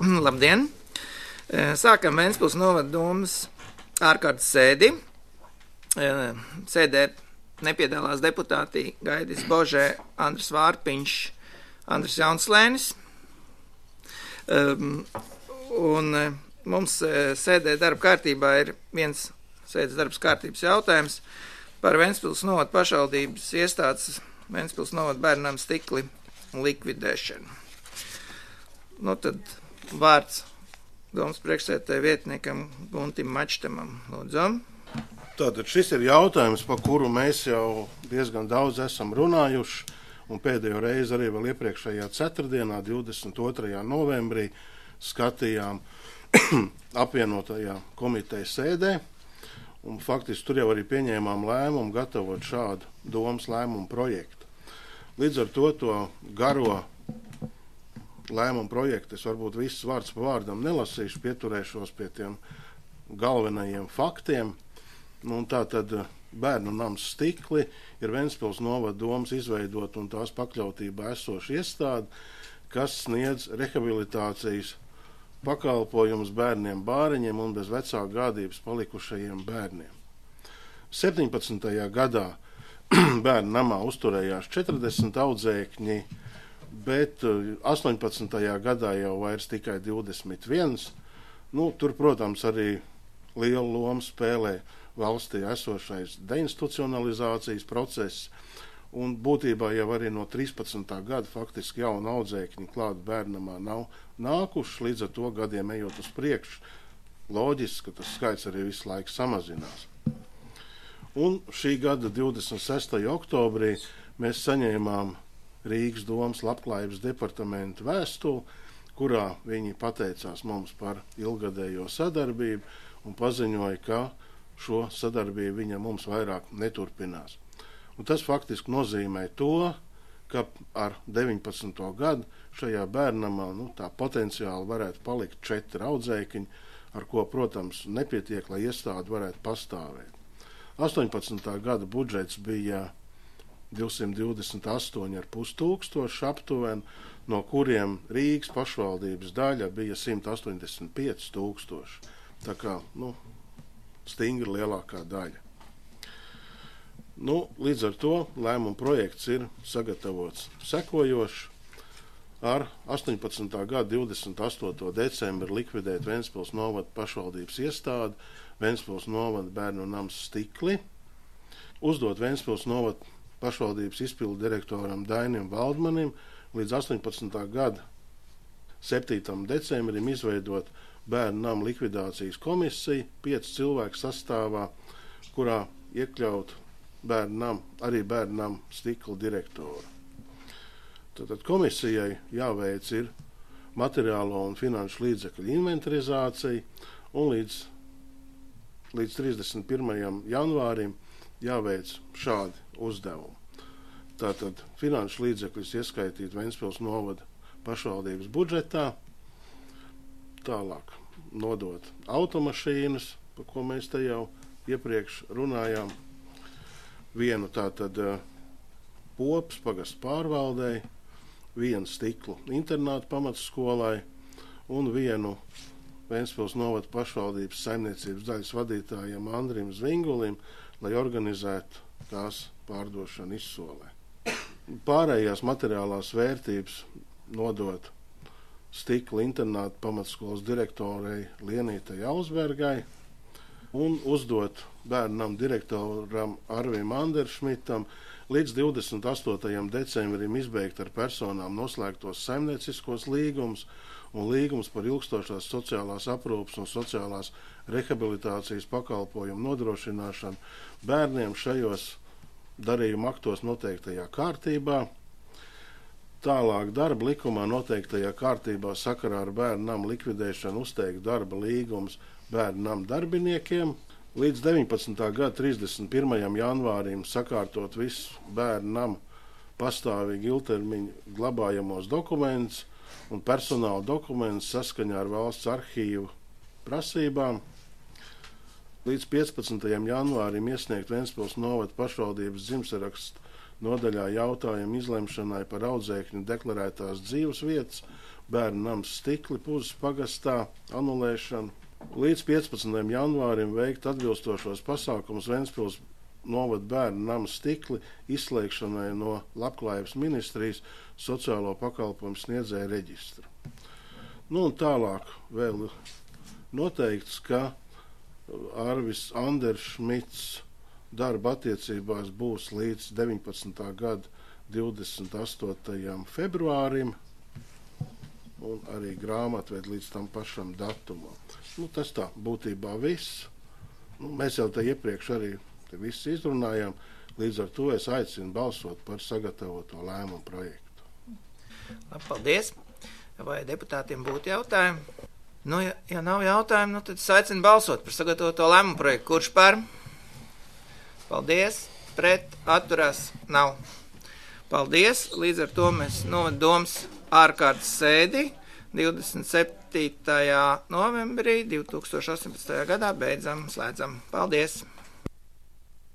Labdien! Sākam Ventspils novada domas ārkārtas sēdi. Sēdē nepiedalās deputāti Gaidis Božē, Andris Vārpiņš, Andris Jaunslēnis. Un mums sēdē darba kārtībā ir viens sēdes darbas kārtības jautājums par Ventspils novada pašvaldības iestādes Ventspils novada bērnam stikli likvidēšanu. Nu tad vārds domas priekšsēdētāja vietniekam Guntim Mačtamam. Lūdzu. Tātad šis ir jautājums, par kuru mēs jau diezgan daudz esam runājuši, un pēdējo reizi arī vēl iepriekšējā ceturtdienā, 22. novembrī, skatījām apvienotajā komitejas sēdē, un faktiski tur jau arī pieņēmām lēmumu gatavot šādu domas lēmumu projektu. Līdz ar to garo lēmumu projektu es varbūt visus vārds pa vārdam nelasīšu, pieturēšos pie tiem galvenajiem faktiem. Un tā tad bērnu nams Stikli ir Ventspils novada domas izveidot un tās pakļautībā esoša iestāde, kas sniedz rehabilitācijas pakalpojumus bērniem bāriņiem un bez vecāku gādības palikušajiem bērniem. 17. gadā bērnu namā uzturējās 40 audzēkņi, bet 18. gadā jau vairs tikai 21. Tur, protams, arī lielu lomu spēlē valstī esošais deinstitucionalizācijas process, un būtībā jau arī no 13. gada faktiski jauna audzēkņi klāt bērnamā nav nākuši, līdz ar to gadiem ejot uz priekšu, loģiski, ka tas skaits arī visu laiku samazinās. Un šī gada 26. oktobrī mēs saņēmām Rīgas domas labklājības departamentu vēstuli, kurā viņi pateicās mums par ilgadējo sadarbību un paziņoja, ka šo sadarbību viņa mums vairāk neturpinās. Un tas faktiski nozīmē to, ka ar 19. gadu šajā bērnamā tā potenciāli varētu palikt 4 audzēkņi, ar ko, protams, nepietiek, lai iestāde varētu pastāvēt. 18. gada budžets bija 228,5 tūkstoši aptuveni, no kuriem Rīgas pašvaldības daļa bija 185 tūkstoši. Tā kā, stingri lielākā daļa. Līdz ar to lēmuma projekts ir sagatavots sekojoši. Ar 18. gada 28. decembri likvidēt Ventspils novada pašvaldības iestādi, Ventspils novada bērnu nams Stikli, uzdot Ventspils novada pašvaldības izpildu direktoram Dainim Valdmanim līdz 18. gada 7. decembrim izveidot bērnu namu likvidācijas komisiju, 5 cilvēku sastāvā, kurā iekļaut arī bērnu namu Stikla direktoru. Tātad komisijai jāveic ir materiālo un finanšu līdzekļu inventarizācija, un līdz 31. janvārim jāveic šādi uzdevumi. Tātad finanšu līdzekļus ieskaitīt Ventspils novada pašvaldības budžetā, tālāk nodot automašīnas, par ko mēs te jau iepriekš runājām, vienu tātad Popas pagastu pārvaldei, vienu Stiklu internātu pamatskolai un vienu Ventspils novada pašvaldības saimniecības daļas vadītājiem Andrim Zvingulim, lai organizētu tās pārdošanu izsolē. Pārējās materiālās vērtības nodot Stikla internāta pamatskolas direktorei Lienītai Ausbergai un uzdot bērnam direktoram Arvim Anderšmitam līdz 28. decembrim izbeigt ar personām noslēgtos saimnieciskos līgumus un līgumus par ilgstošās sociālās aprūpes un sociālās rehabilitācijas pakalpojumu nodrošināšanu bērniem šajos darījuma aktos noteiktajā kārtībā. Tālāk darba likumā noteiktajā kārtībā sakarā ar bērnu namu likvidēšanu uzteikt darba līgums bērnu namu darbiniekiem. Līdz 19. gada 31. janvārim sakārtot visu bērnu namu pastāvīgi ilgtermiņu glabājamos dokumentus un personāla dokumentus saskaņā ar valsts arhīvu prasībām. Līdz 15. janvārim iesniegt Ventspils novada pašvaldības dzimtsarakstu nodaļā jautājumu izlemšanai par audzēkņu deklarētās dzīves vietas bērnu nams Stikli Puzes pagastā anulēšanu. Līdz 15. janvārim veikt atbilstošos pasākumus Ventspils novada bērnu nama Stikli izslēgšanai no Labklājības ministrijas sociālo pakalpojumu sniedzēju reģistra. Un tālāk vēl noteikts, ka Arvis Anderšmits darba attiecībās būs līdz 19. gada 28. februārim un arī grāmatvedi līdz tam pašam datumam. Tas tā būtībā viss. Mēs jau te iepriekš arī viss izrunājām, līdz ar to es aicinu balsot par sagatavoto lēmumu projektu. Labi, paldies. Vai deputātiem būtu jautājumi? Ja nav jautājumu, tad es aicinu balsot par sagatavoto lēmumu projektu. Kurš par? Paldies. Pret, atturās, nav. Paldies. Līdz ar to mēs novada domas ārkārtas sēdi 27. novembrī 2018. gadā beidzam, slēdzam. Paldies!